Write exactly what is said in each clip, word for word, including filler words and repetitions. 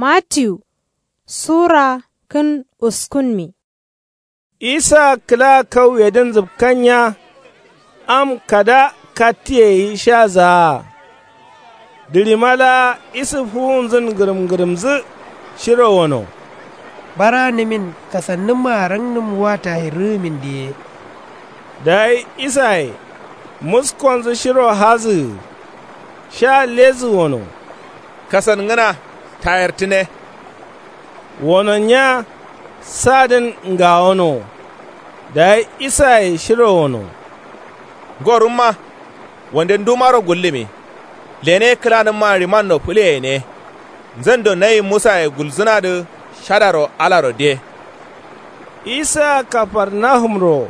Matiyu sura kǝn uskunmi. Isa kǝla kauyedǝn zǝpkannya. Am kada kattiye yi sha zaa. Dǝɍima laa isǝ fuwunzǝn ngǝrǝm ngǝrǝmzǝ shiro wono. Baranǝmin kasannǝmma rangnǝm wa tayirrǝgǝmin diye. Dayi isaye muskonzǝ shiro hazǝgǝ. Sha lezǝ wono. Kasangǝna tayartǝne. Wononya sadǝn ngawono. Dayi isaye shiro wono. Ngorumma wande ndumaro gullǝmi. Lene kǝlanǝmma ɍimanno fǝleyene. Nzando nayi musaye gulzǝnadǝ shadaro alaro de. Isa kafarnahumro.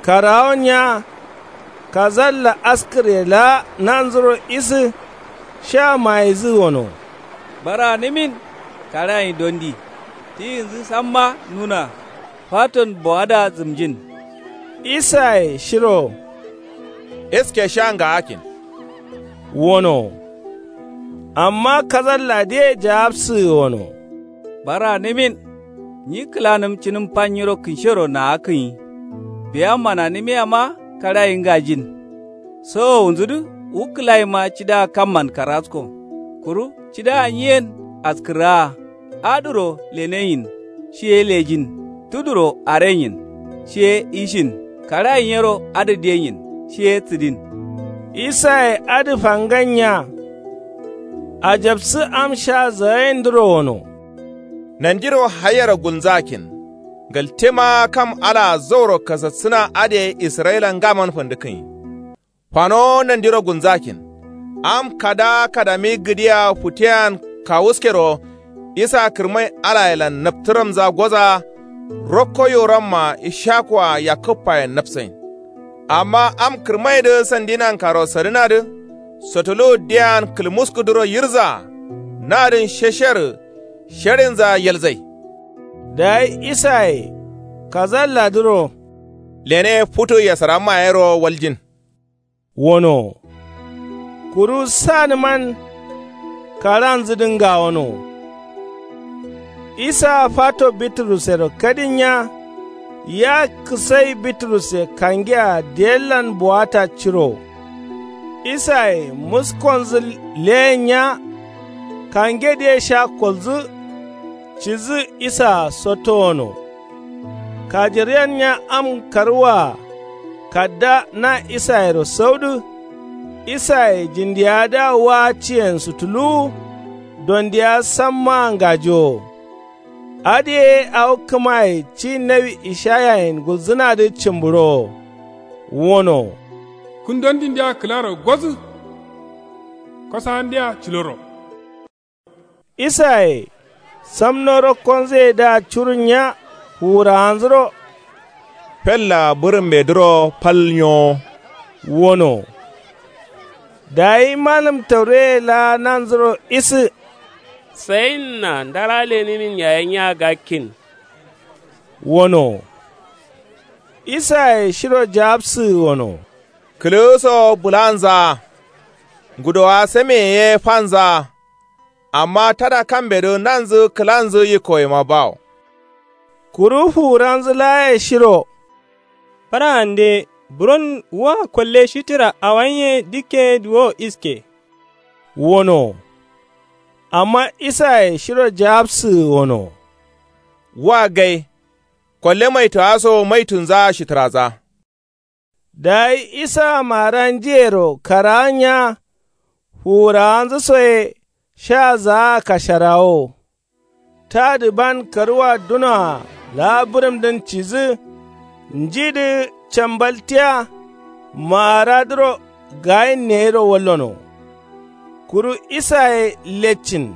Karawonya kazalla askǝrye laa nanzuro isǝ. Sha mayizǝ wono. Baranǝmin karayin dondi. Tiyinzǝ samma nuna. Faton bowadǝa zǝmjin. Isaye shiro. Iske sha ngaakkin. Wono. Amma kazalladǝye jaabsǝgǝ wono. Baranǝmin. Nyi kǝlanǝm cǝnǝm fa nyiro kǝnshero naakkǝnyi. Biya mananǝmiyama karayi ngajin. Sowowunzudǝ wu kǝlayima cida kamman karasko. Kuru cida nyiyen askǝraa. Adǝro leneyin. Shiye lejin. Tuduro arenyin. Shiye ishin. Karayin yero adǝ denyin. Shiye tǝdin. Isaye adǝ fangannya. Ajabsǝ am sha zagaindǝro wono. Nandiro haiyero gulnzakkin. Ngaltema kam alaa zauro kasassǝna adǝ ye israyila ngaman fandǝkkǝnyi. Fanowo nandiro gulnzakkin. Am kada kadami gǝdiyea futeyan kawuskero. Isa kǝrmai alayelan naptǝramza goza. Rokko yoramma ishakuwa yakkǝbbayen napsain. Amma am kǝrmaidǝ sandinankaro sadǝnadǝ. Sotuluwu diyean kǝlmuskuduro yirza. Nadǝn shesherǝ. Sherinza yelzai. Dayi isaye kazalladǝro. Lene futu yasaramma yero waljin. Wono. Kuru sanǝman karanzǝdǝ ngawono. Isa fato bitrusero kadinya. Ya kǝsai bitrusse kangea diyellan buwata ciro. Isaye muskonzǝ leyenya. Kangedǝye sha kolzǝ. Cidǝ isaa sotto wono. Kajiryennya am karwaa. Kadda na isayero saudǝ. Isaye jindiyawadǝa waa ciyen sutuluwu. Dondiya sammaa ngajowo. Adǝ ye awo kǝmaye ci nawi ishayayen gulzǝnadǝ cǝmbǝrowo. Wono. Kǝn dondindea kǝlaro gozǝ. Kosandea ciloro. Isaye samno rokkonzǝyedǝa curunya fuwurawanzuro. Fella bǝrǝmbedǝro fal nyowo. Wono. Dayi malǝm tauroye laa nanzuro isǝ. Sayinna ndara lenǝmin yaye nya gakkin. Wono. Isaye shiro jaabsǝgǝ wono. Kǝlǝgǝso bǝlanzaa. Ngudowa sameye ye fanzaa. Amma tada kambedǝ nanzǝ kǝlanzǝ yikkoyema bawo. Kuru fuwuranzǝ laaye shiro. Fara'ande buron wa kolle shitǝra awanye dikke duwo iske. Wono. Amma isaye shiro jaabsǝgǝ wono. Wa gai. Kolle maitowa so maitunza shitǝraza. Dayi isa mara njiyero karaanya. Fuwurawanzǝ soye sha zaa kasharawo. Tadǝ ban karwa dunoa laa bǝrǝmdǝn cidǝ. Njidǝ cambaltiya. Maaradǝro gayin neyiro wallono. Kuru isaye leccin.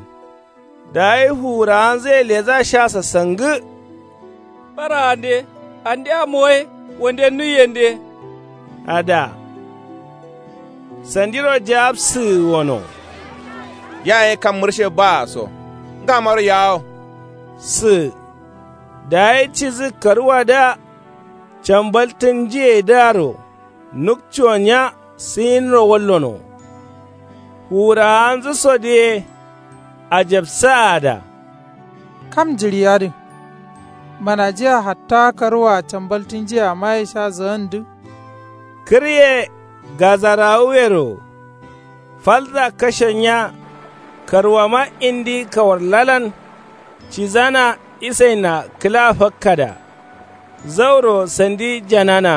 Dayi fuwurawanzǝye leza sha sassangǝ. Faraande andea moye wande nuiyende. Ada. Sandiro jaabsǝgǝ wono. Yaye kam mǝrshe baa so. Ngamaro yawo. Sǝ. Dayi cidǝ karwadǝa. Cambaltǝn njiyedǝaro nukcuwanya sǝyinro wallono. Fuwurawanzǝ sodǝ ye. Ajabsaada. Kam jiɍi adǝ manajiya hatta karwua cambaltǝnjiya maye sha zǝgandǝ. Kǝrye gazarawuyero falza kashe nya. Karwuama indi kawarlalan cidana isainna kǝla fakkada. Zauro sandi janana.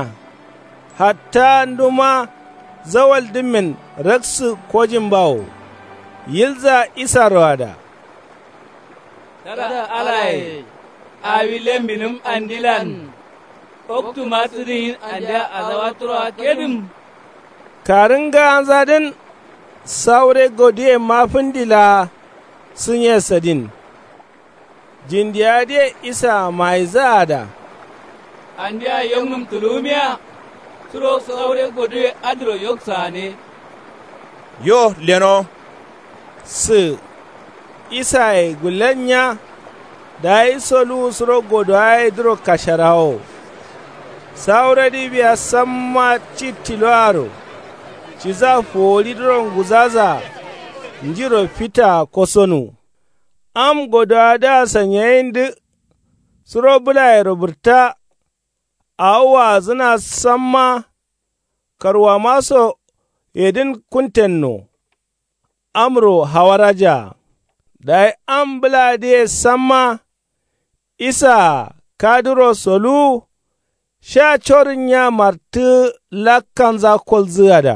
Hatta nduma zawaldǝmmen raksǝ kojimbawo. Yilza isaroada. Tada alaye awi lembinǝm andilan. Oktu ma sǝdǝyin andiya azawa turowa kedǝm. Karǝngawanzadǝn saure goduye ma fǝndi laa sǝnye sadin. Jindiyadǝye isaa maizǝada. Andiya yoknǝm tuluwumiya. Suro saure goduye adǝro yok saane. Yo leno. Sǝ isaye gullen nya. Dayi soluwu suro godowaye duro kasharawo. Sauredǝ biya samma ci tiloaro. Ciza fowoɍidǝro nguzaza. Njiro fitaa kosonuwu. Am godowadǝa sanyayindǝ. Suro bǝlayero bǝrta. Awo waazǝna samma. Karwuama so yedǝn kuntenno. Amro hawarajaa. Dayi am bǝladǝye samma. Isaa kaduro soluwu. Sha corǝn nya martǝ lakkanza kolzǝgada.